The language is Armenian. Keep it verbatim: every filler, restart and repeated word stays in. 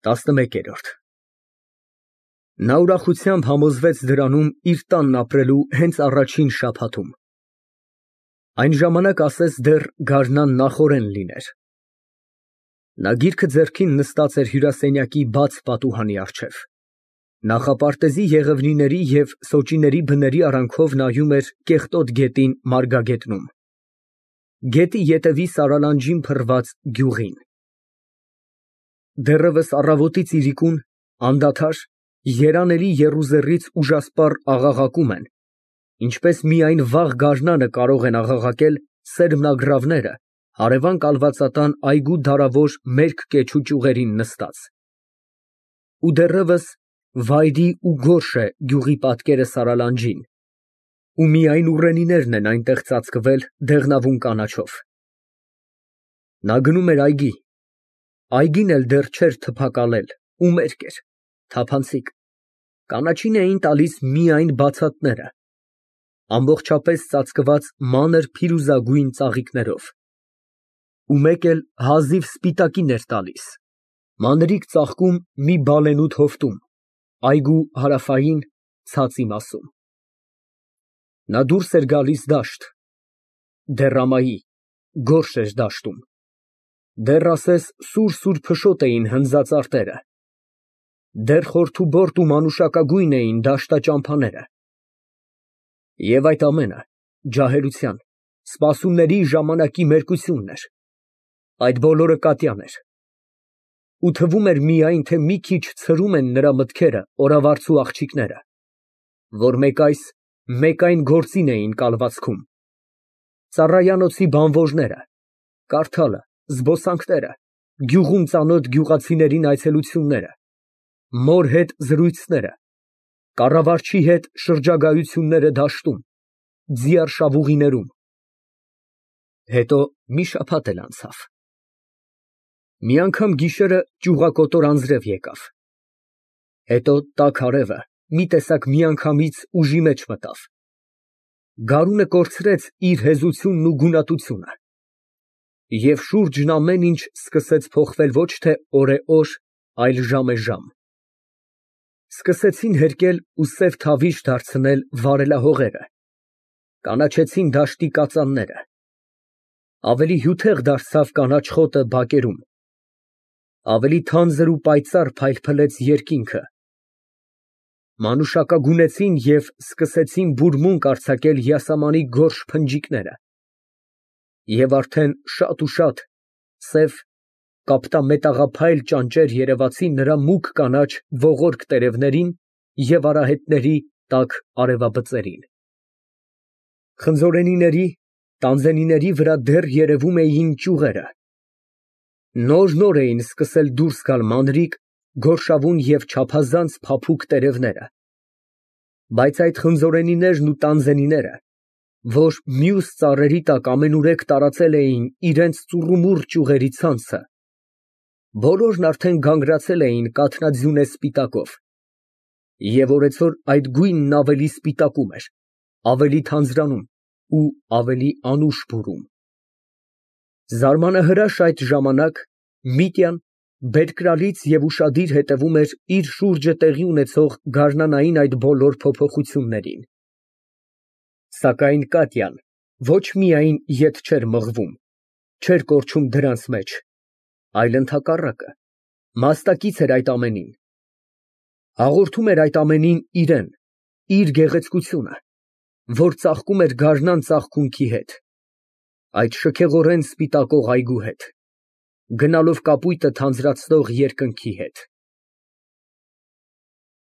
տասնմեկերորդ Նա ուրախությամբ համոզվեց դրանում իր տանն ապրելու հենց առաջին շաբաթում, այն ժամանակ ասես դեռ գարնան նախօրեն լիներ։ Նա գիրքը ձեռքին նստած էր հյուրասենյակի բաց պատուհանի առջև, նախապարտեզի եղևնիների և սոճիների բների արանքով նայում էր կեղտոտ գետին Մարգագետնում, գետի ետևի սարալանջին փռված գյուղին։ Դեռևս առավոտից իրիկուն, անդադար, երանելի եռուզեռից ուժասպառ աղաղակում են, ինչպես միայն վաղ գարնանը կարող են աղաղակել սերմնագռավները հարևան կալվածատան այգու դարավոր մերկ կեչու ճյուղերին նստած։ Ու դեռևս վայրի ու գորշ է գյուղի պատկերը սարալանջին, ու միայն ուռենիներն են այնտեղ ծածկվել դեղնավուն կանաչով։ Նա գնում էր այգի, այգին էլ դեռ չէր թփակալել ու մերկ էր, թափանցիկ, կանաչին էին տալիս միայն բացատները, ամբողջապես ծածկված մանր փիրուզագույն ծաղիկներով, ու մեկ էլ հազիվ սպիտակին էր տալիս, մանրիկ ծաղկում մի բալենուտ հովտում, այգու հարավային ցածի մասում։ Նա դուրս էր գալիս դաշտ, դեռ ամայի, գորշ էր դաշտում, դեռ ասես սուր֊սուր փշոտ էին հնձած արտերը, դեռ խորթուբորտ ու մանուշակագույն էին դաշտաճամփաները։ Եվ այդ ամենը ջահելության, սպասումների ժամանակի մերկությունն էր, այդ բոլորը կատյան էր, ու թվում էր միայն, թե մի քիչ ցրում են նրա մտքերը օրավարձու աղջիկները, որ մեկ այս, մեկ այն գործին էին կալվածքում, ծառայանոցի բանվորները, կարդալը, զբոսանքները, գյուղում ծանոթ գյուղացիներին այցելությունները, մոր հետ զրույցները, կառավարչի հետ շրջագայությունները դաշտում, ձիար շավուղիներում։ Հետո մի շաբաթ էլ անցավ։ Մի անգամ գիշերը ճյուղակոտոր անձրև եկավ, հետո տաք արևը մի տեսակ միանգամից ուժի մեջ մտավ, գարունը կորցրեց իր հեզությունն ու գունատությունը, և շուրջն ամեն ինչ սկսեց փոխվել ոչ թե օր է օր, այլ ժամ է ժամ, սկսեցին հերկել ու սև թավիշ դարձնել վարելահողերը, կանաչեցին դաշտի կածանները, ավելի հյութեղ դարձավ կանաչ խոտը բակերում, ավելի թանձր ու պայծառ փայլփլեց երկինքը, մանուշակագունեցին և սկսեցին բուրմունք արձակել յասամանի գորշ փնջիկները, և արդեն շատ ու շատ սև, կապտամետաղափայլ ճանճեր երևացին նրա մուգ կանաչ ողորկ տերևներին և արահետների տաք արևաբծերին։ Խնձորենիների, տանձենիների վրա դեռ երևում էին ճյուղերը, նոր֊նոր էին սկսել դուրս գալ մանրիկ, գորշավուն և չափազանց փափուկ տերևները, բայց այդ խնձորենիներն ու տանձենիները, որ մյուս ծառերի տակ ամենուրեք տարածել էին իրենց ծուռումուռ ճյուղերի ցանցը, բոլորն արդեն գանգրացել էին կաթնաձյունե սպիտակով, և օրեցօր այդ գույնն ավելի սպիտակում էր, ավելի թանձրանում ու ավելի անուշ բուրում։ Զարմանահրաշ այդ ժամանակ Միտյան բերկրալից և ուշադիր հետևում էր իր շուրջը տեղի ունեցող գարնանային այդ բոլոր փոփոխություններին։ Սակայն Կատյան ոչ միայն ետ չէր մղվում, չէր կորչում դրանց մեջ, այլ ընդհակառակը, մասնակից էր այդ ամենին, հաղորդում էր այդ ամենին իրան, իր գեղեցկությունը, որ ծաղկում էր գարնան ծաղկունքի հետ, այդ շքեղորեն սպիտակող այգու հետ, գնալով կապույտը թանձրացնող երկնքի հետ։